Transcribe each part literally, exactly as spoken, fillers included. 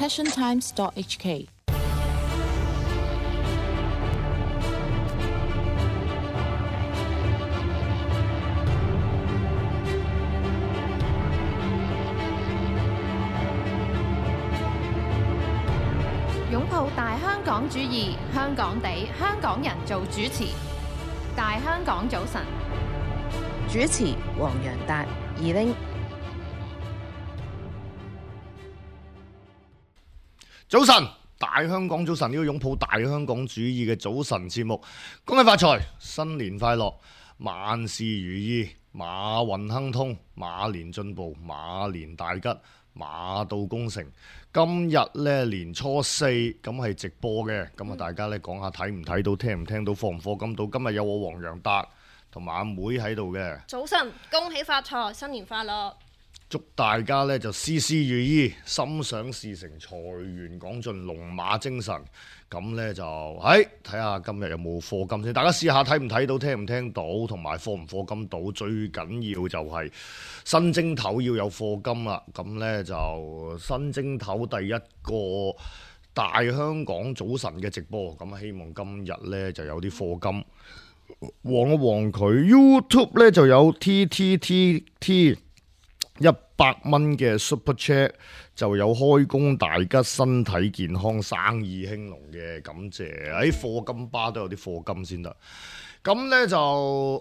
passion times dot h k。擁抱大香港主義，香港地，香港人做主持。大香港早晨，主持黃洋達、二拎。早晨，大香港早晨，呢個擁抱大香港主義嘅早晨節目，恭喜發財，新年快樂，萬事如意，馬運亨通，馬年進步，馬年大吉，馬到功成。今日咧年初四，咁係直播嘅，咁啊大家咧講下睇唔睇到，聽唔聽到，課唔課金到。今日有我黃洋達同埋阿妹喺度嘅。早晨，恭喜發財，新年快樂！祝大家咧就事事如意，心想事成，財源廣進，龍馬精神。咁咧就喺睇下今日有冇課金先，大家試下睇唔睇到，聽唔聽到，同埋課唔課金到。最緊要就係新正頭要有課金啦。咁咧就新正頭第一個大香港早晨嘅直播，咁希望今日咧就有啲課金。旺一旺佢 YouTube 咧就有 T T T T。一百蚊嘅 Super Chat 就有開工大吉，身體健康，生意興隆嘅，感謝。喺課金巴都有啲課金先得。咁呢就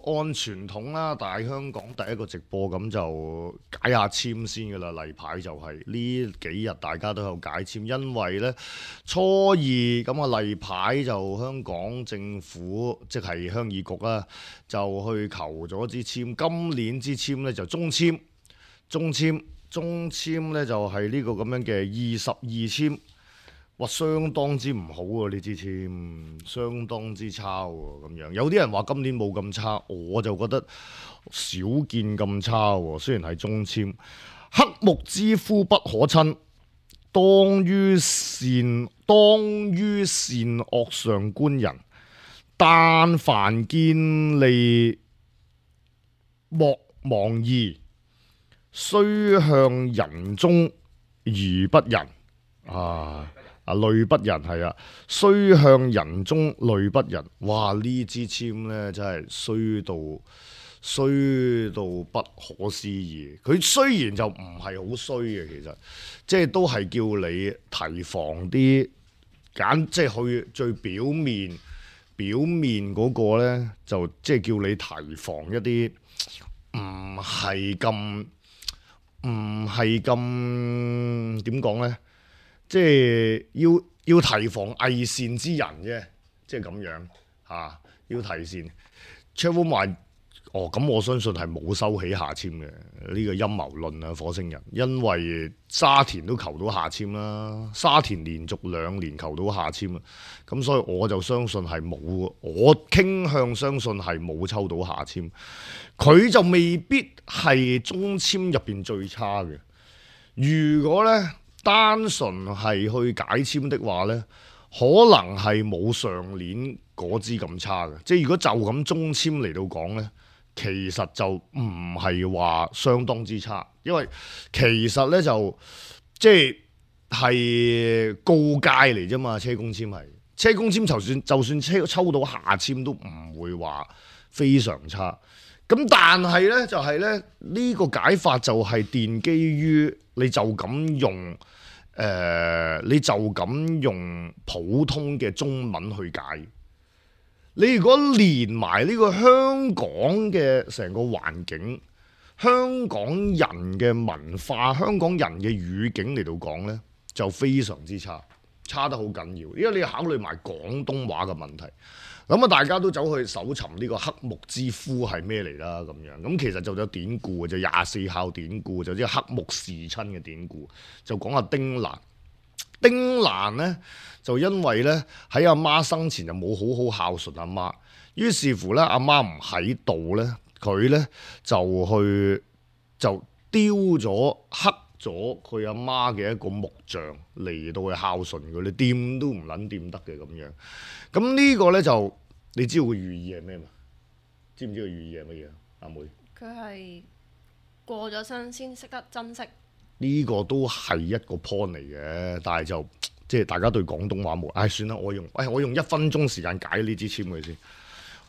按傳統啦，大香港第一個直播咁就解下籤先噶啦。例牌就係呢幾日大家都有解籤，因為呢初二咁啊例牌就香港政府即係鄉議局啦，就去求咗支籤。今年支籤呢就中籤。中籤中籤咧就係呢個咁樣嘅二十二籤，哇相當之唔好啊！呢支籤相當之差喎，咁樣有啲人話今年冇咁差，我就覺得少見咁差喎。雖然係中籤，黑木之夫不可親，當於善當於善惡上觀人，但凡見利莫忘義。雖向人中而不仁啊！啊淚不仁係啊！雖向人中淚不仁，哇！呢支籤呢真係衰到衰到不可思議。佢雖然就唔係好衰嘅，其實即係都係叫你提防啲揀，即係去最表面表面嗰個呢，就即係叫你提防一啲唔係咁。唔係咁點講呢？即係要要提防偽善之人啫，即係咁樣嚇、啊，要提善。Travel 話哦，咁我相信係冇收起下籤嘅呢個陰謀論啊，火星人，因為沙田都求到下籤啦，沙田連續兩年求到下籤啊，咁所以我就相信係冇，我傾向相信係冇抽到下籤。佢就未必係中籤入邊最差嘅。如果呢單純係去解籤的話呢，可能係冇上年嗰支咁差嘅。即係如果就咁中籤嚟到講呢，其實就唔係話相當之差，因為其實呢就即係係告誡嚟啫嘛。車公籤係車公籤，就算就算車抽到下籤都唔會話非常差。咁但係呢，就係咧呢個解法就係奠基於你就咁用誒、呃，你就咁用普通嘅中文去解。你如果連埋呢個香港嘅成個環境、香港人嘅文化、香港人嘅語境嚟到講呢，就非常之差，差得好緊要。因為你要考慮埋廣東話嘅問題。咁啊，大家都走去搜尋呢個黑木之夫係咩嚟啦？咁樣咁其實就有典故，就廿四孝典故，就即係黑木侍親嘅典故，就講下丁蘭。丁蘭呢，就因為呢喺阿媽生前就冇好好孝順阿媽，於是乎呢，阿媽唔喺度呢，佢呢就去就丟咗黑咗佢阿媽嘅一個木像嚟到去孝順佢，你掂都唔撚掂得嘅咁樣。咁呢個呢，就你知道個寓意係咩嘛？知唔知個寓意係乜嘢？阿妹，佢係過咗身先識得珍惜。呢個都係一個 point 嚟嘅，但係就即係大家對廣東話冇，唉、哎、算啦，我用，唉、哎、我用一分鐘時間解呢支籤佢先，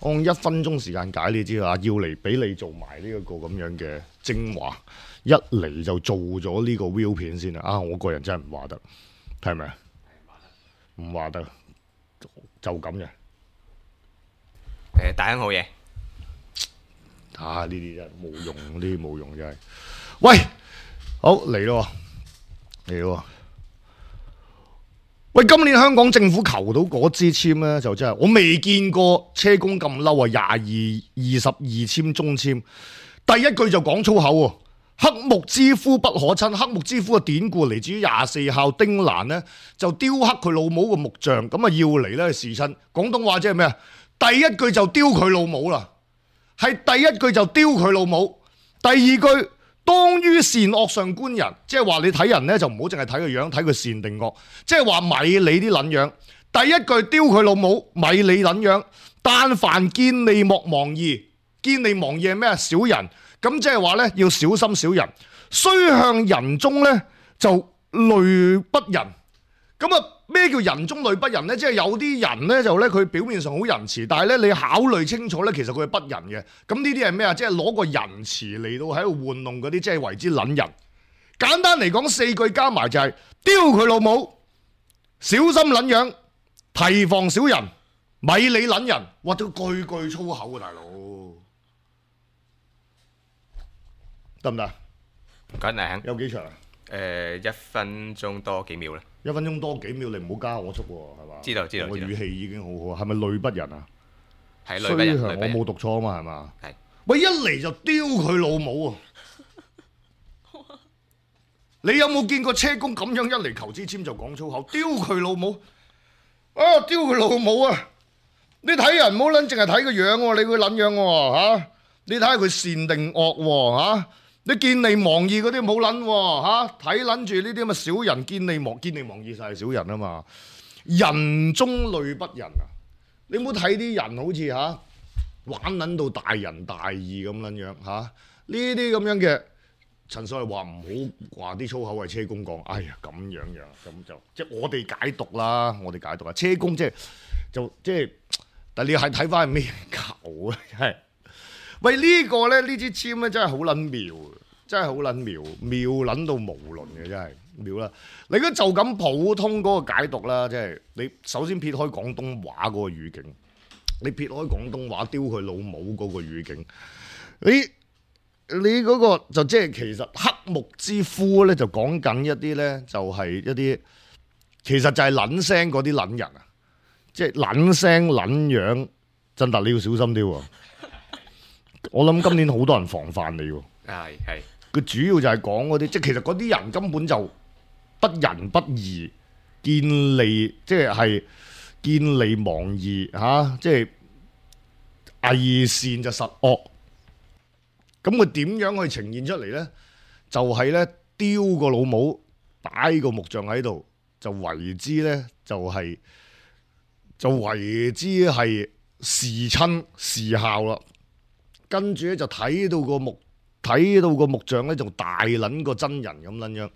我用一分鐘時間解呢支啊，要嚟俾你做埋呢一個咁樣嘅精華，一嚟就做咗呢個 view 片先啦，啊我個人真係唔話得，係咪啊？唔話得，就咁嘅。誒，大亨好嘢。啊！呢啲真係冇用，呢啲冇用真係。喂，好嚟咯，嚟咯。喂，今年香港政府求到嗰支籤咧，就真係我未見過車公咁嬲啊！廿二二十二籤中籤，第一句就講粗口喎。黑木之夫不可親，黑木之夫嘅典故嚟自於廿四孝丁蘭呢，就雕刻佢老母個木像，咁啊要嚟咧侍親。廣東話即係咩啊？第一句就雕佢老母啦。係第一句就丟佢老母，第二句當於善惡上觀人，即係話你睇人呢，就唔好淨係睇個樣，睇佢善定惡，即係話咪你啲撚樣。第一句丟佢老母，咪你撚樣。但凡見利莫忘義，見利忘義係咩啊？小人，咁即係話呢，要小心小人。雖向人中呢，就類不仁，咁啊。咩叫人中類不仁呢？即係有啲人呢，就咧佢表面上好仁慈，但係咧你考慮清楚咧，其實佢係不仁嘅。咁呢啲係咩啊？即係攞個仁慈嚟到喺度玩弄嗰啲，即係為之撚人。簡單嚟講，四句加埋就係丟佢老母，小心撚樣，提防小人，咪你撚人。哇！都句句粗口啊，大佬，得唔得？唔該，大亨。有幾長啊？誒，一分鐘多幾秒啦。一分鐘多幾秒，你唔好加我速喎，係嘛？知道知道。我語氣已經好好，係咪累不仁啊？係累不仁。我冇讀錯啊嘛，係嘛？係。喂，一嚟就丟佢老母啊！你有冇見過車公咁樣一嚟求支籤就講粗口？丟佢老母！啊，丟佢老母啊！你睇人唔好撚淨係睇個樣喎，你會撚樣喎嚇？你睇下佢善定惡喎嚇？你見利忘義嗰啲冇撚喎嚇，睇撚住呢啲咁嘅小人，見利忘見利忘義就係小人啊嘛。人中類不仁啊！你唔好睇啲人好似嚇玩撚到大仁大義咁撚樣嚇，呢啲咁樣嘅陳所謂話唔好話啲粗口係車公講，哎呀咁樣樣咁就即係我哋解讀啦，我哋解讀啊，車公即係就即係，但係你係睇翻係咩球啊？真係。喂，呢、這個咧，呢支籤咧真係好撚妙，真係好撚妙，妙撚到無倫嘅真係妙啦！你如果就咁普通嗰個解讀啦，即係你首先撇開廣東話嗰個語境，你撇開廣東話丟佢老母嗰個語境，你你嗰個就即係其實黑木之夫咧，就講緊一啲咧，就係一啲其實就係撚聲嗰啲撚人啊，即係撚聲撚樣，真特你要小心啲喎。我諗今年好多人防範你喎，係係。佢主要就係講嗰啲，即係其實嗰啲人根本就不仁不義，見利即係係見利忘義嚇，即係偽善就實惡。咁佢點樣去呈現出嚟咧？就係咧丟個老母，擺個木像喺度，就為之咧就係、是、就為之係侍親侍孝啦。跟住咧就睇到個木睇到個木像咧，就大撚個真人咁撚樣。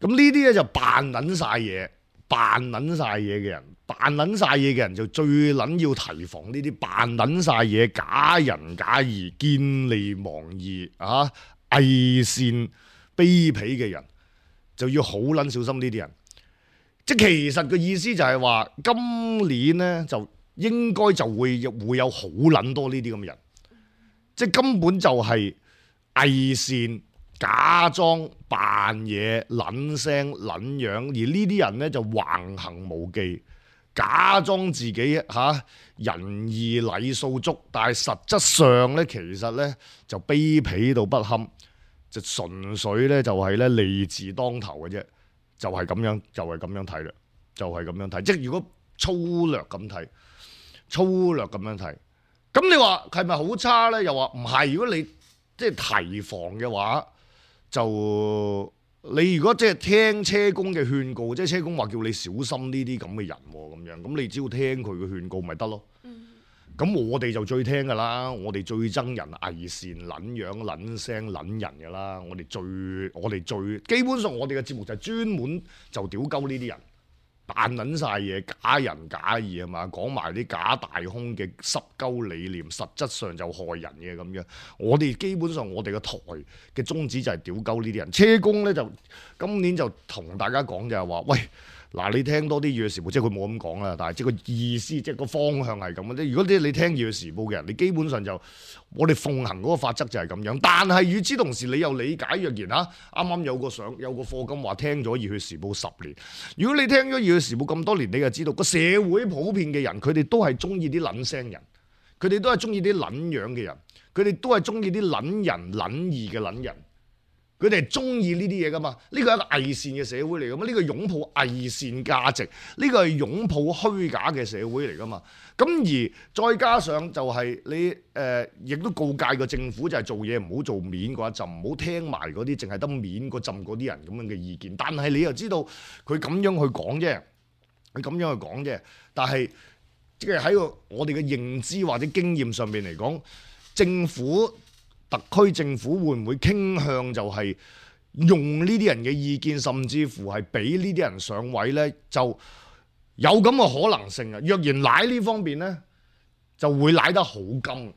咁呢啲咧就扮撚晒嘢，扮撚晒嘢嘅人，扮撚晒嘢嘅人就最撚要提防呢啲扮撚晒嘢、假仁假義、見利忘義啊、偽善卑鄙嘅人，就要好撚小心呢啲人。即係其實個意思就係話，今年咧就應該就會會有好撚多呢啲咁嘅人。即係根本就係偽善、假裝、扮嘢、撚聲、撚樣，而呢啲人呢，就橫行無忌，假裝自己嚇、啊、仁義禮數足，但係實質上呢，其實呢，就卑鄙到不堪，就純粹呢，就係呢利字當頭嘅啫，就係、是、咁樣，就係、是、咁樣睇啦，就係、是、咁樣睇。即係如果粗略咁睇，粗略咁樣睇。咁你話係咪好差咧？又話唔係。如果你即係提防嘅話，就你如果即係聽車公嘅勸告，即係車公話叫你小心呢啲咁嘅人咁樣，咁你只要聽佢嘅勸告咪得咯。咁、咁我哋就最聽㗎啦，我哋最憎人偽善、撚樣、撚聲、撚人㗎啦。我哋最我哋最基本上我哋嘅節目就係專門就屌鳩呢啲人。扮撚晒嘢，假仁假義係嘛，講埋啲假大空嘅濕鳩理念，實質上就害人嘅咁樣。我哋基本上我哋個台嘅宗旨就係屌鳩呢啲人。車公咧就今年就同大家講就係話，喂嗱，你聽多啲《粵語時報》，即係佢冇咁講啦，但係即係個意思，即係個方向係咁嘅。如果啲你聽《粵語時報》嘅人，你基本上就我哋奉行嗰個法則就係咁樣。但係與此同時，你又理解若然嚇，啱啱有個相有個課金話聽咗《粵語時報》十年。如果你聽咗《粵語時報》咁多年，你就知道個社會普遍嘅人，佢哋都係中意啲撚聲人，佢哋都係中意啲撚樣嘅人，佢哋都係中意啲撚人撚義嘅撚人。佢哋係中意呢啲嘢噶嘛？呢個係一個偽善嘅社會嚟噶嘛？呢個擁抱偽善價值，呢個係擁抱虛假嘅社會嚟噶嘛？咁而再加上就係你誒，亦、呃、都告誡個政府就係做嘢唔好做面嗰一陣，唔好聽埋嗰啲淨係得面嗰陣嗰啲人咁樣嘅意見。但係你又知道佢咁樣去講啫，佢咁樣去講啫。但係即係喺個我哋嘅認知或者經驗上面嚟講，政府。特區政府會唔會傾向就係用呢啲人嘅意見，甚至乎係俾呢啲人上位呢？就有咁嘅可能性啊！若然賴呢方面呢，就會賴得好金，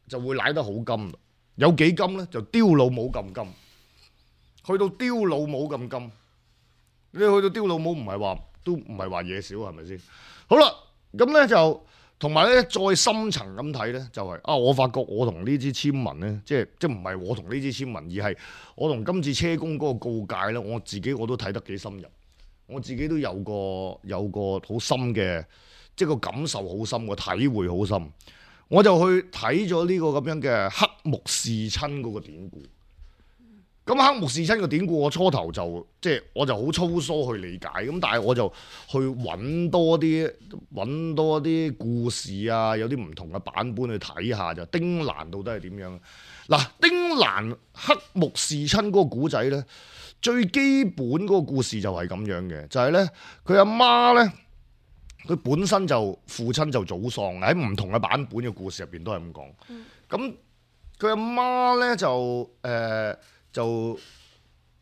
就會賴得好金。有幾金呢？就丟老母咁金，去到丟老母咁金。你去到丟老母唔係話都唔係話嘢少係咪先？好啦，咁呢就。同埋咧，再深層咁睇咧，就係、是、啊，我發覺我同呢支簽文咧，即係即係唔係我同呢支簽文，而係我同今次車公嗰個告誡咧，我自己我都睇得幾深入，我自己都有個有個好深嘅，即係個感受好深，個體會好深，我就去睇咗呢個咁樣嘅黑木侍親嗰個典故。咁黑木侍親個典故，我初頭就即係我就好粗疏去理解，咁但係我就去揾多啲揾多啲故事啊，有啲唔同嘅版本去睇下就丁蘭到底係點樣？嗱，丁蘭黑木侍親嗰個古仔咧，最基本嗰個故事就係咁樣嘅，就係咧佢阿媽咧，佢本身就父親就早喪，喺唔同嘅版本嘅故事入邊都係咁講。咁佢阿媽咧就誒。呃就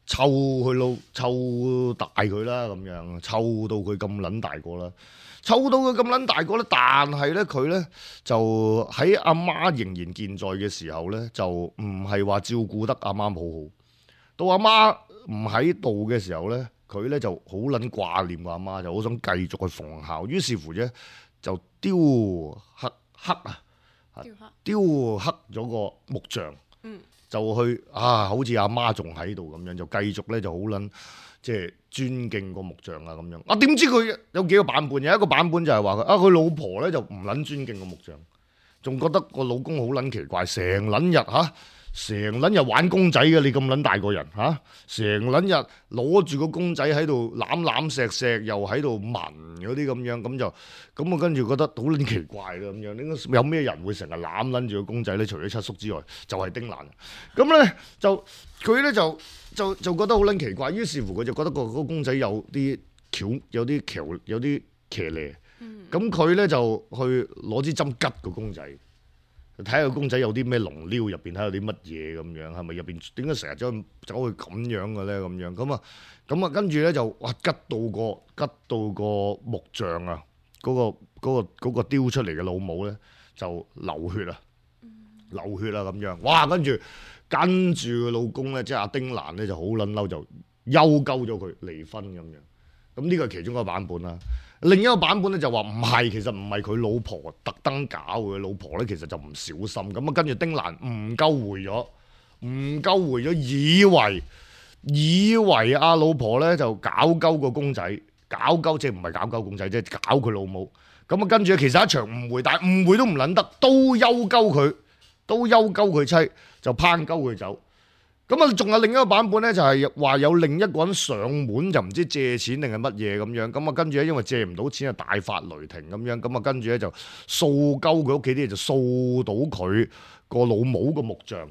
湊佢老湊大佢啦，咁樣湊到佢咁撚大個啦，湊到佢咁撚大個咧，但係咧佢咧就喺阿媽仍然健在嘅時候咧，就唔係話照顧得阿媽好好。到阿媽唔喺度嘅時候咧，佢咧就好撚掛念個阿媽，就好想繼續去奉孝。於是乎啫，就雕刻刻啊，雕刻咗個木像。嗯。就去啊，好似阿媽仲喺度咁樣，就繼續咧就好撚即係尊敬個木像啊咁樣。啊點知佢有幾個版本？有一個版本就係話佢啊，佢老婆咧就唔撚尊敬個木像，仲覺得個老公好撚奇怪，成撚日嚇，成撚日玩公仔嘅，你咁撚大個人嚇，成撚日攞住個公仔喺度攬攬錫錫，又喺度聞嗰啲咁樣，咁就咁我跟住覺得好撚奇怪啦咁樣。應該有咩人會成日攬撚住個公仔咧？除咗七叔之外，就係、是、丁蘭。咁咧就佢咧就就就覺得好撚奇怪，於是乎佢就覺得個個公仔有啲巧，有啲橋，有啲騎呢。咁佢咧就去攞支針拮個公仔。睇下個公仔有啲咩龍溜入邊，睇下有啲乜嘢咁樣，係咪入邊點解成日走去走去咁樣嘅咧？咁樣咁啊，咁啊，跟住咧就哇吉到個吉到個木像啊，嗰個嗰個嗰個雕出嚟嘅老母咧就流血啊，流血啊咁樣，哇！跟住跟住個老公咧，即係阿丁蘭咧就好撚嬲，就休鳩咗佢離婚咁樣。咁呢個係其中一個版本啦。另一個版本咧就話唔係，其實唔係佢老婆特登搞嘅，老婆咧其實就唔小心咁啊。跟住丁蘭唔鳩回咗，唔鳩回咗，以為以為阿老婆咧就搞鳩個公仔，搞鳩即係唔係搞鳩公仔，即係搞佢老母。咁啊，跟住其實一場誤會，但係誤會都唔撚得，都休鳩佢，都休鳩佢妻，就拚鳩佢走。咁啊，仲有另一個版本咧，就係話有另一個人上門，就唔知借錢定係乜嘢咁樣。咁啊，跟住咧，因為借唔到錢啊，大發雷霆咁樣。咁啊，跟住咧就掃鳩佢屋企啲嘢，就掃到佢個老母個木像。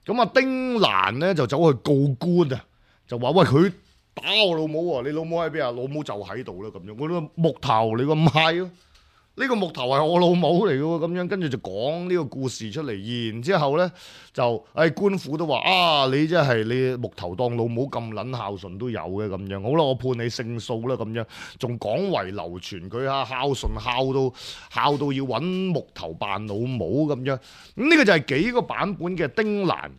咁啊，丁蘭咧就走去告官啊，就話喂，佢打我老母喎，你老母喺邊啊？老母就喺度啦咁樣。我話木頭你個唔係咯，呢個木頭係我老母嚟嘅喎，咁樣跟住就講呢個故事出嚟，然之後咧就誒、哎、官府都話啊，你真係你木頭當老母咁撚孝順都有嘅咁樣，好啦，我判你勝訴啦咁樣，仲廣為流傳佢啊孝順孝到孝到要揾木頭扮老母咁樣，咁呢個就係幾個版本嘅丁蘭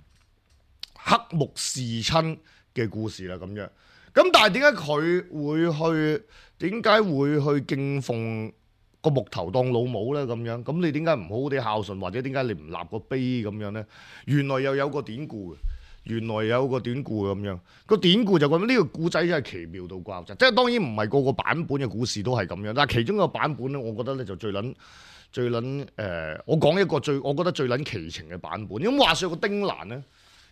黑木侍親嘅故事啦咁樣。咁但係點解佢會去？點解會去敬奉個木頭當老母咧？咁樣咁你點解唔好好地孝順，或者點解你唔立個碑咁樣咧？原來又有個典故嘅，原來有個典故咁樣。個典故就講呢個故仔真係奇妙到爆炸，即係當然唔係個個版本嘅故事都係咁樣，但係其中一個版本咧，我覺得咧就最撚最撚誒、呃，我講一個最我覺得最撚奇情嘅版本。咁話說個丁蘭咧，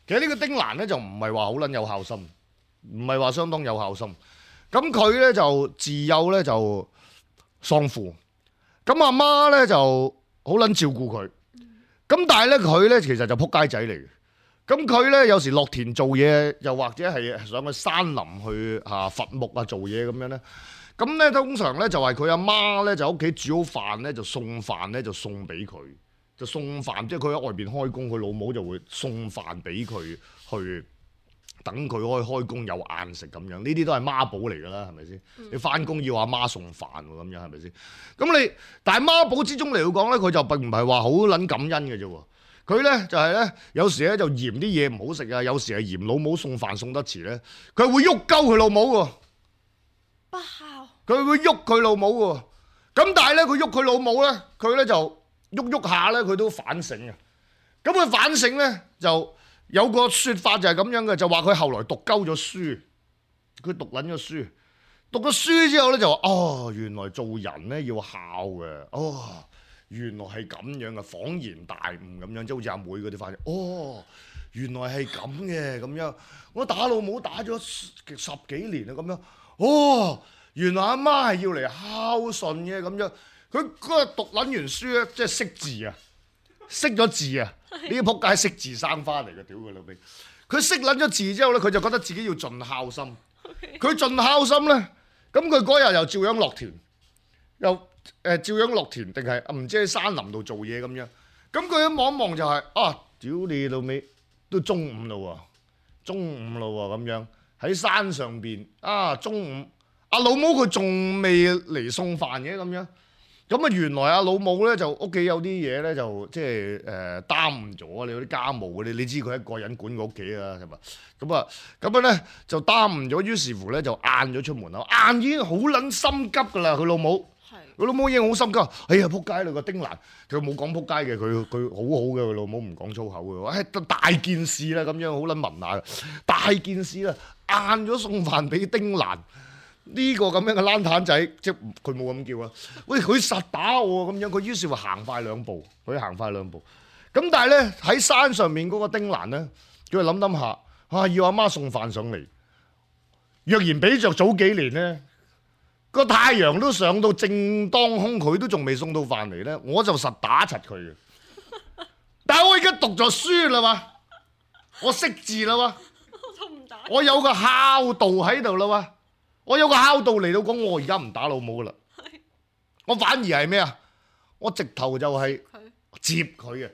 其實呢個丁蘭咧就唔係話好撚有孝心，唔係話相當有孝心。咁佢咧就自幼咧就喪父，咁阿媽咧就好撚照顧佢，咁但係咧佢咧其實就撲街仔嚟嘅，咁佢咧有時落田做嘢，又或者係上去山林去嚇伐木啊做嘢咁樣咧，咁咧通常咧就係佢阿媽咧就喺屋企煮好飯咧就送飯咧就送俾佢，就送飯即係佢喺外邊開工，佢老母就會送飯俾佢去。等佢可以開工有晏食咁樣，呢啲都係媽寶嚟㗎啦，係咪先？嗯、你翻工要阿媽送飯喎，咁樣係咪先？咁你但係媽寶之中嚟講咧，佢就並唔係話好撚感恩嘅啫喎。佢咧就係、是、咧，有時咧就嫌啲嘢唔好食啊，有時係嫌老母送飯送得遲咧，佢會喐鳩佢老母喎。不孝。佢會喐佢老母喎。咁但係咧，佢喐佢老母咧，佢咧就喐喐下咧，佢都反省啊。咁佢反省咧就。有個説法就係咁樣嘅，就話佢後來讀鳩咗書，佢讀撚咗書，讀咗書之後咧就話：哦，原來做人咧要孝嘅，哦，原來係咁樣嘅，恍然大悟咁樣，即係好似阿妹嗰啲反應。哦，原來係咁嘅咁樣，我打老母打咗十幾年啊咁樣。哦，原來阿媽係要嚟孝順嘅咁樣。佢嗰日讀撚完書咧，即係識字啊！識咗字啊！呢啲仆街識字生花嚟嘅，屌佢老味！佢識撚咗字之後咧，佢就覺得自己要盡孝心。佢盡孝心咧，咁佢嗰日又照樣落田，又誒、呃、照樣落田，定係唔知喺山林度做嘢咁樣。咁佢一望一望就係、是、啊，屌你老味，都中午啦喎，中午啦喎咁樣喺山上邊啊，中午阿老母佢仲未嚟送飯嘅咁樣。咁啊，原來阿老母咧就屋企有啲嘢咧就即係誒耽誤咗，你嗰啲家務嗰啲，你知佢一個人管個屋企啊，係嘛？咁啊，咁樣咧就耽誤咗，於是乎咧就晏咗出門口，晏已經好撚心急噶啦，佢老母，佢老母已經好心急，哎呀仆街啦個丁蘭，佢冇講仆街嘅，佢佢好好嘅，佢老母唔講粗口嘅，哎大件事啦咁樣，好撚文雅，大件事啦，晏咗送飯俾丁蘭。呢個咁樣嘅爛攤仔，即係佢冇咁叫啊！喂，佢實打我咁樣，佢於是話行快兩步，佢行快兩步。咁但係咧喺山上面嗰個丁蘭咧，佢就諗諗下，啊要阿媽送飯上嚟。若然比着早幾年咧，個太陽都上到正當空，佢都仲未送到飯嚟咧，我就實打柒佢嘅。但係我而家讀咗書啦嘛，我識字啦嘛，我有個孝道喺度啦嘛。我有個孝道嚟到講，我而家唔打老母噶啦，我反而係咩啊？我直頭就係接佢嘅。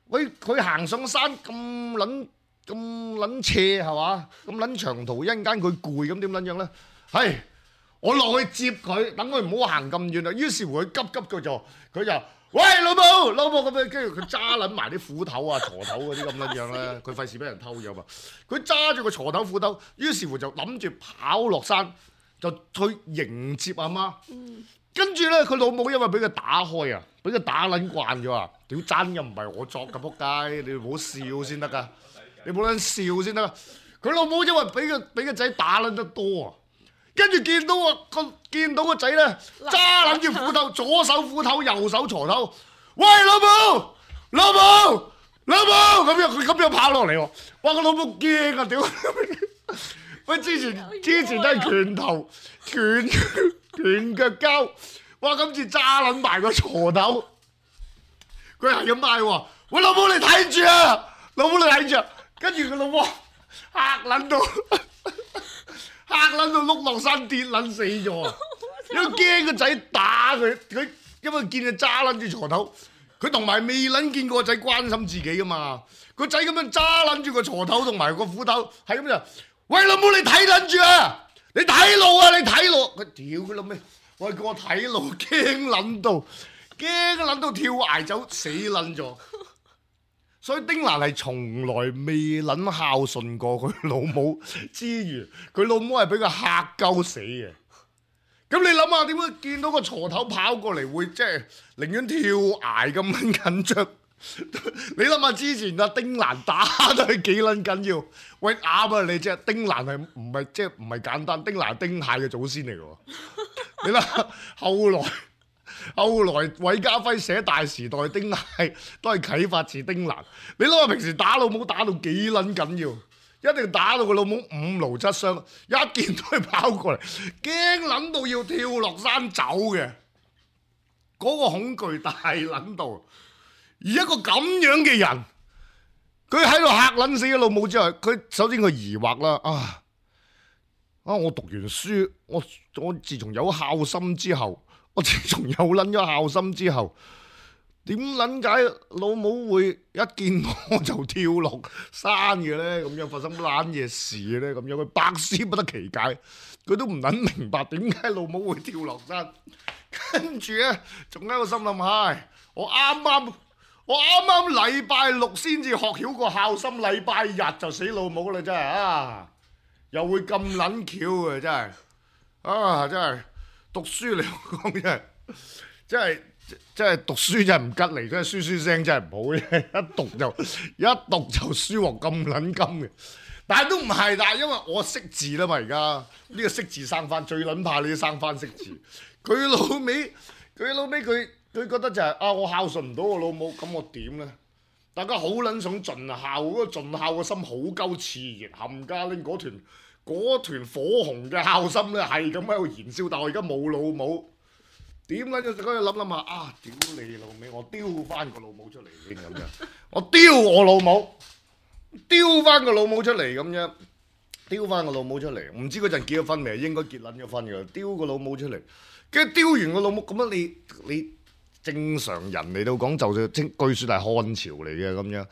喂，佢行上山咁撚咁撚斜係嘛？咁撚長途，一陣間佢攰咁點撚樣咧？係我落去接佢，等佢唔好行咁遠啦。於是乎佢急急佢就佢就喂老母老母咁樣，跟住佢揸撚埋啲斧頭啊、鋤頭嗰啲咁撚樣咧，佢費事俾人偷咗嘛。佢揸住個鋤頭斧頭，於是乎就諗住跑落山，就去迎接阿媽。嗯、跟住咧，佢老母因為俾佢打開啊，俾佢打撚慣咗啊！屌真又唔係我作嘅仆街，你唔好笑先得噶，你冇撚笑先得。佢老母因為俾個俾個仔打撚得多啊！跟住見到啊個見到個仔咧揸撚住斧頭，左手斧頭，右手鋤頭。喂老母，老母，老母咁樣佢咁樣跑落嚟喎。哇個老母驚啊屌！喂之前之前都係拳頭拳拳腳交，哇今次揸撚埋個鋤頭。佢係咁嗌喎，喂老母你睇住啊，老母你睇住啊。跟住佢老母嚇撚到。嚇撚到碌落山跌撚死咗啊！因為驚個仔打佢，佢因為見佢揸撚住鋤頭，佢同埋未撚見過個仔關心自己噶嘛。個仔咁樣揸撚住個鋤頭同埋個斧頭，係咁就，喂老母你睇撚住啊！你睇路啊！你睇路！佢屌佢老味，喂叫我睇路，驚撚到，驚撚到跳崖走死撚咗。所以丁蘭係從來未撚孝順過佢老母之餘，佢老母係俾佢嚇鳩死嘅。咁你諗下點解見到個鋤頭跑過嚟會即係寧願跳崖咁撚緊張？你諗下之前阿丁蘭打都係幾撚緊要？喂啱啊！你即係丁蘭係唔係即係唔係簡單？丁蘭係丁蟹嘅祖先嚟嘅。你諗下後來。後來韋家輝寫《大時代》，丁蟹都係啟發自丁蘭。你諗下平時打老母打到幾撚緊要，一定打到個老母五勞七傷，一見到佢跑過嚟，驚撚到要跳落山走嘅，嗰、那個恐懼大撚到。而一個咁樣嘅人，佢喺度嚇撚死個老母之後，佢首先佢疑惑啦，啊啊！我讀完書，我我自從有孝心之後。我自從有撚咗孝心之後，點撚解老母會一見我就跳落山嘅咧？咁樣發生乜嘢事咧？咁樣佢百思不得其解，佢都唔撚明白點解老母會跳落山。跟住咧，仲喺個心諗，唉，我啱啱我啱啱禮拜六先至學曉個孝心，禮拜日就死老母啦！真係啊，又會咁撚巧嘅真係啊，真係。讀書嚟講真係，真係真係讀書真係唔吉利，真係書書聲真係唔好嘅，一讀就一讀就書鑊咁撚金嘅。但係都唔係，但係因為我識字啦嘛，而家呢個識字生翻，最撚怕你啲生翻識字。佢老尾，佢老尾佢佢覺得就係、是、啊，我孝順唔到我老母，咁我點咧？大家好撚想盡孝，嗰、那個盡孝嘅心好鳩熾熱，冚家拎嗰團。嗰團火紅嘅孝心咧，係咁喺度燃燒，但我而家冇老母，點解就嗰度諗諗下啊？屌你老味，我丟翻個老母出嚟先咁樣，我丟我老母，丟翻個老母出嚟咁樣，丟翻個老母出嚟，唔知嗰陣結咗婚未？應該結撚咗婚㗎，丟個老母出嚟，跟住丟完個老母，咁樣你你正常人嚟到講，就算據說係漢朝嚟嘅咁樣。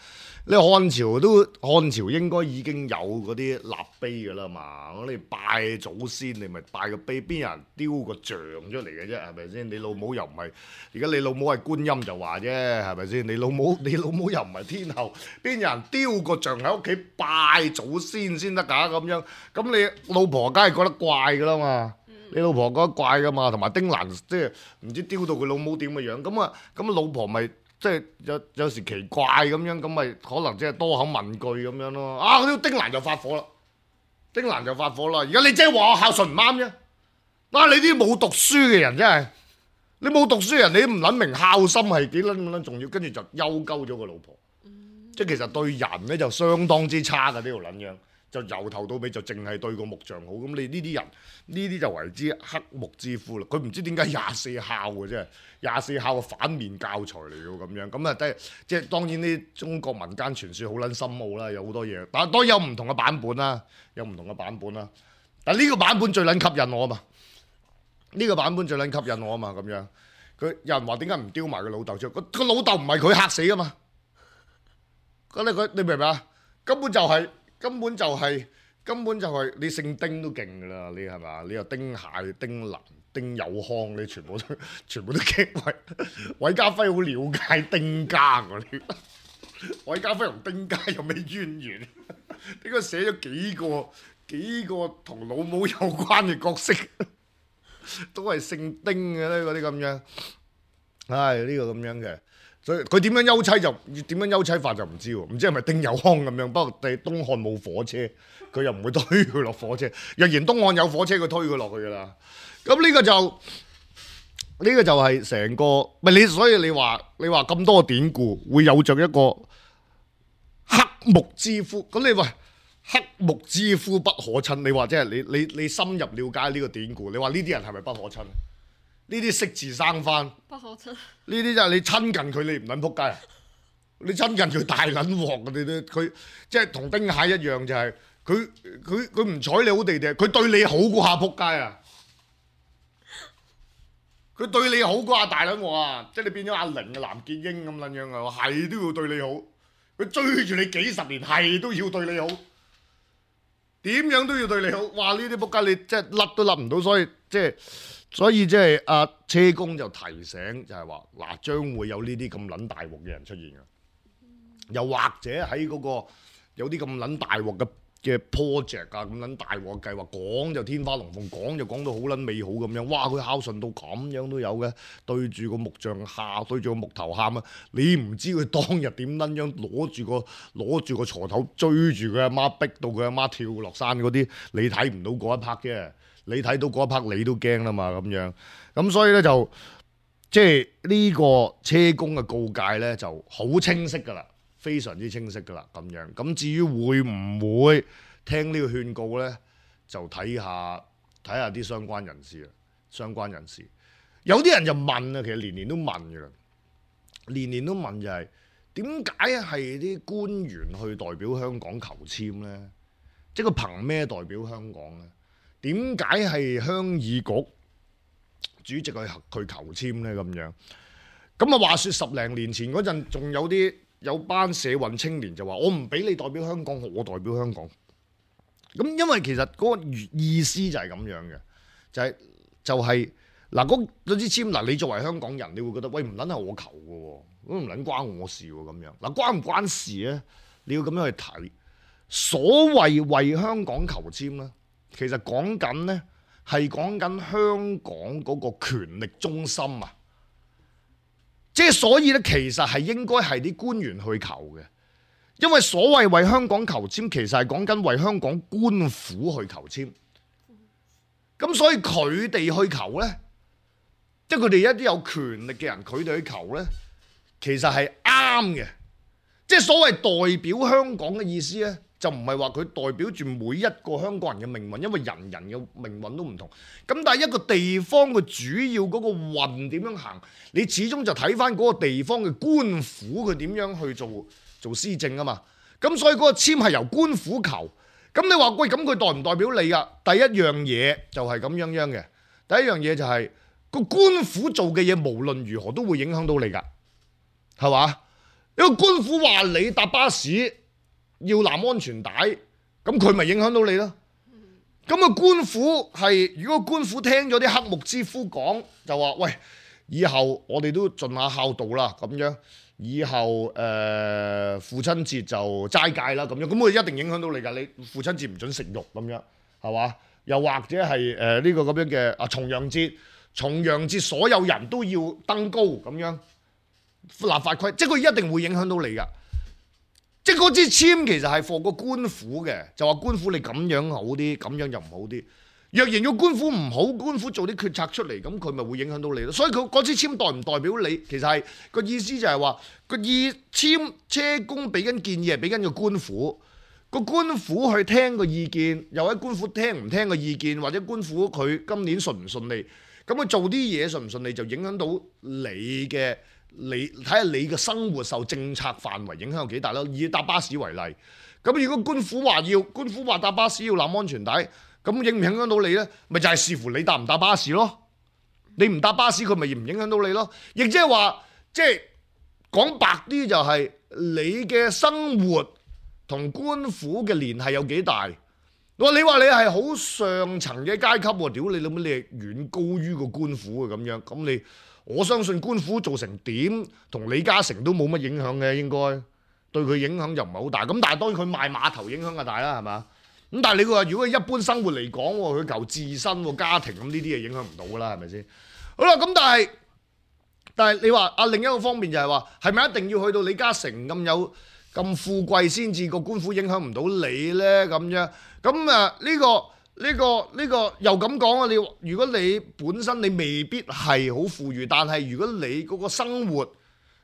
你漢朝都漢朝應該已經有嗰啲立碑㗎啦嘛，你拜祖先你咪拜個碑，邊有人雕個像出嚟嘅啫，係咪先？你老母又唔係，而家你老母係觀音就話啫，係咪先？你老母你老母又唔係天后，邊有人雕個像喺屋企拜祖先先得㗎咁樣？咁你老婆梗係覺得怪㗎啦嘛，你老婆覺得怪㗎嘛，同埋丁蘭即係唔知雕到佢老母點嘅樣，咁啊咁啊老婆咪。即係有有時奇怪咁樣，咁咪可能即係多口問句咁樣咯。啊！嗰啲丁蘭就發火啦，丁蘭就發火啦。而家你即係話我孝順唔啱啫。啊！你啲冇讀書嘅人真係，你冇讀書嘅人，你都唔撚明孝心係幾撚咁撚重要，跟住就休鳩咗個老婆。嗯、即係其實對人咧就相當之差嘅呢條撚樣。就由頭到尾就淨係對個木匠好，咁你呢啲人呢啲就為之黑木之夫啦。佢唔知點解廿四孝嘅啫，廿四孝嘅反面教材嚟嘅咁樣，咁啊即係即係當然啲中國民間傳說好撚深奧啦，有好多嘢，但係當然有唔同嘅版本啦，有唔同嘅版本啦。但係呢個版本最撚吸引我啊嘛，呢、呢個版本最撚吸引我啊嘛，咁樣佢有人話點解唔丟埋個老豆出？個個老豆唔係佢嚇死啊嘛，咁你佢你明唔明啊？根本就係、是。根本就係、是、根本就係、是、你姓丁都勁㗎啦，你係嘛？你又丁蟹、丁蘭、丁有康，你全部都全部都驚韋韋家輝好了解丁家㗎你。韋家輝同丁家有咩淵源？點解寫咗幾個幾個同老母有關嘅角色，都係姓丁嘅咧？嗰啲咁樣，唉，呢、這個咁樣嘅。所以佢點樣休妻就點樣休妻法就唔知喎，唔知係咪丁有康咁樣。不過第東漢冇火車，佢又唔會推佢落火車。若然東漢有火車，佢推佢落去㗎啦。咁呢個就呢、呢個就係成個唔係你，所以你話你話咁多典故會有着一個黑木之夫。咁你話黑木之夫不可親，你話即係你你你深入了解呢個典故，你話呢啲人係咪不可親？呢啲識字生番，不可親。呢啲就係你親近佢，你唔撚仆街啊！你親近佢大撚鑊，你都佢即係同丁蟹一樣，就係佢佢佢唔睬你好地地，佢對你好過下仆街啊！佢對你好過阿大撚我啊，即係你變咗阿玲嘅藍潔瑛咁撚樣啊，係都要對你好。佢追住你幾十年，係都要對你好，點樣都要對你好。哇！呢啲仆街你即係甩都甩唔到，所以即係所以即係阿車公就提醒就係話嗱，將會有呢啲咁撚大鑊嘅人出現嘅，又或者喺嗰個有啲咁撚大鑊嘅嘅 project 啊，咁撚大鑊計劃講就天花龍鳳，講就講到好撚美好咁樣。哇！佢孝順到咁樣都有嘅，對住個木像喊，對住個木頭喊啊！你唔知佢當日點撚樣攞住個攞住個鋤頭追住佢阿媽，逼到佢阿媽跳落山嗰啲，你睇唔到嗰一 part 啫。你睇到嗰一 part 你都驚啦嘛咁樣。咁所以咧就即係呢個車公嘅告誡咧就好清晰㗎啦。非常之清晰㗎啦，咁樣。咁至於會唔會聽呢個勸告呢？就睇下睇下啲相關人士啦。相關人士有啲人就問啊，其實年年都問㗎啦，年年都問就係點解係啲官員去代表香港求籤呢？即係佢憑咩代表香港呢？點解係鄉議局主席去去求籤呢？咁樣咁啊？話説十零年前嗰陣，仲有啲。有班社運青年就話：我唔俾你代表香港，我代表香港。咁因為其實嗰個意思就係咁樣嘅，就係、是、就係嗱嗰嗰支籤嗱，你作為香港人，你會覺得喂唔撚係我求嘅喎，咁唔撚關我事喎咁樣。嗱關唔關事咧？你要咁樣去睇。所謂為香港求籤咧，其實講緊咧係講緊香港嗰個權力中心啊。即係所以咧，其實係應該係啲官員去求嘅，因為所謂為香港求籤，其實係講緊為香港官府去求籤。咁所以佢哋去求咧，即係佢哋一啲有權力嘅人，佢哋去求咧，其實係啱嘅。即係所謂代表香港嘅意思咧，就唔係話佢代表住每一個香港人嘅命運，因為人人嘅命運都唔同。咁但係一個地方嘅主要嗰個運點樣行，你始終就睇翻嗰個地方嘅官府佢點樣去做做施政啊嘛。咁所以嗰個籤係由官府求。咁你話喂，咁佢代唔代表你啊？第一樣嘢就係咁樣樣嘅。第一樣嘢就係個官府做嘅嘢，無論如何都會影響到你㗎，係嘛？因為官府話你搭巴士要攬安全帶，咁佢咪影響到你咯？咁啊官府係，如果官府聽咗啲黑幕之夫講，就話喂，以後我哋都盡下孝道啦，咁樣以後誒、呃、父親節就齋戒啦，咁樣咁佢一定影響到你㗎。你父親節唔准食肉咁樣，係嘛？又或者係誒呢個咁樣嘅啊重陽節，重陽節所有人都要登高咁樣。立法規，即係佢一定會影響到你㗎。即係嗰支籤其實係放個官府嘅，就話官府你咁樣好啲，咁樣又唔好啲。若然個官府唔好，官府做啲決策出嚟，咁佢咪會影響到你咯。所以佢嗰支籤代唔代表你，其實係個意思就係話個意籤車公俾緊建議係俾緊個官府，個官府去聽個意見，又喺官府聽唔聽個意見，或者官府佢今年順唔順利，咁佢做啲嘢順唔順利就影響到你嘅。你睇下你嘅生活受政策範圍影響有幾大咯？以搭巴士為例，咁如果官府話要官府話搭巴士要攬安全帶，咁影唔影響到你呢？咪就係、是、視乎你搭唔搭巴士咯。你唔搭巴士，佢咪唔影響到你咯。亦即係話，即係講白啲就係、是、你嘅生活同官府嘅聯繫有幾大。我話你話你係好上層嘅階級喎，屌你老母，你係遠高於個官府嘅咁樣，咁你。我相信官府做成點，同李嘉誠都冇乜影響嘅，應該對佢影響就唔係好大。咁但係當然佢賣碼頭影響就大啦，係嘛？咁但係你話如果一般生活嚟講，佢求自身家庭咁呢啲嘢影響唔到㗎啦，係咪先？好啦，咁但係但係你話啊另一個方面就係話，係咪一定要去到李嘉誠咁有咁富貴先至個官府影響唔到你咧？咁樣咁啊呢個。呢、這個呢、這個又咁講啊！你如果你本身你未必係好富裕，但係如果你嗰個生活，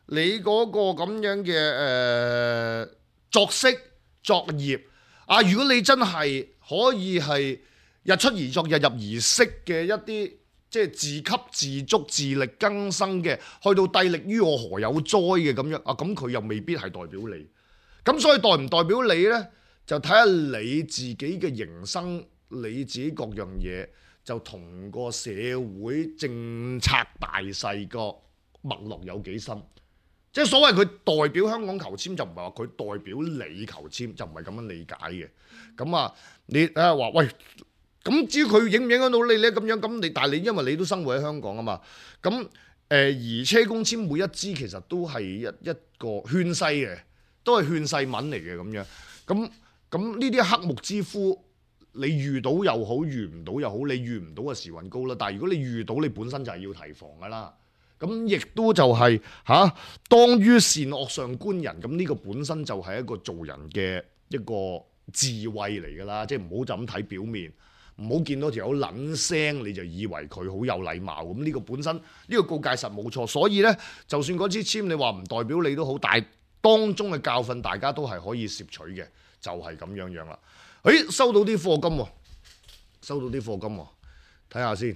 你嗰個咁樣嘅誒、呃、作息作業啊，如果你真係可以係日出而作日入而息嘅一啲即係自給自足自力更生嘅，去到帝力於我何有哉嘅咁樣啊，咁佢又未必係代表你。咁所以代唔代表你呢？就睇下你自己嘅營生。你自己各樣嘢，就同個社會政策大勢個脈絡有幾深。即係所謂佢代表香港求籤，就唔係話佢代表你求籤，就唔係咁樣理解嘅。咁啊，你啊話喂，咁至於佢影唔影響到你咧？咁樣咁你，但係你因為你都生活喺香港啊嘛。咁誒、呃，而車公籤每一支其實都係一一個勸世嘅，都係勸世文嚟嘅咁樣。咁咁呢啲黑木之夫，你遇到又好，遇唔到又好，你遇唔到嘅時運高啦。但係如果你遇到，你本身就係要提防噶啦。咁亦都就係、是、嚇、啊，當於善惡上觀人，咁呢個本身就係一個做人嘅一個智慧嚟㗎啦，即係唔好就咁睇表面，唔好見到條友撚聲你就以為佢好有禮貌，咁呢個本身呢、呢個告誡實冇錯，所以呢，就算嗰支籤你話唔代表你都好，但係當中嘅教訓大家都係可以攝取嘅，就係、是、咁樣樣啦。誒，收到啲課金喎，收到啲課金喎，睇下先。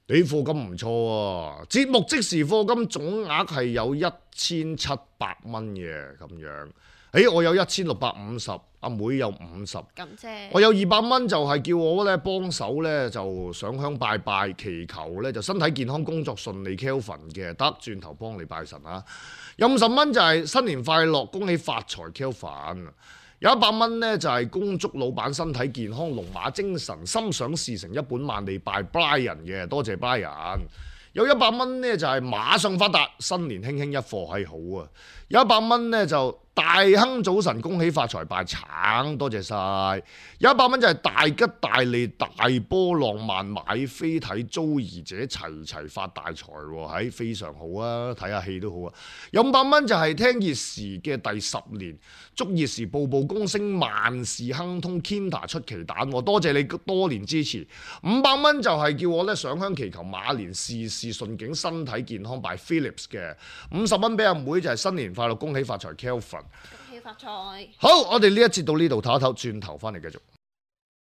你課金唔錯喎，節目即時課金總額係有一千七百蚊嘅咁樣。誒，我有一千六百五十，阿妹有五十，咁啫。我有二百蚊就係叫我咧幫手咧就上香拜拜，祈求咧就身體健康、工作順利 Kelvin 嘅，得轉頭幫你拜神啊。有五十蚊就係新年快樂，恭喜發財 Kelvin。有一百蚊呢，就係恭祝老闆身體健康、龍馬精神、心想事成、一本萬利拜 Brian 嘅，多謝 Brian。有一百蚊呢，就係馬上發達，新年輕輕一課係好啊。有一百蚊呢，就大亨早晨，恭喜發財拜橙，多謝晒。有一百蚊就係大吉大利、大波浪漫，買飛睇租兒者齊齊發大財喎，係非常好啊！睇下戲都好啊。有五百蚊就係聽熱時嘅第十年，祝熱時步步高升，萬事亨通 ，Kinta 出奇蛋，多謝你多年支持。五百蚊就係叫我咧上香祈求馬年事事順境、身體健康拜 Philips 嘅。五十蚊俾阿妹就係新年快樂，恭喜發財 Kelvin。恭喜發財！好，我哋呢一節到呢度唞一唞，轉頭翻嚟繼續。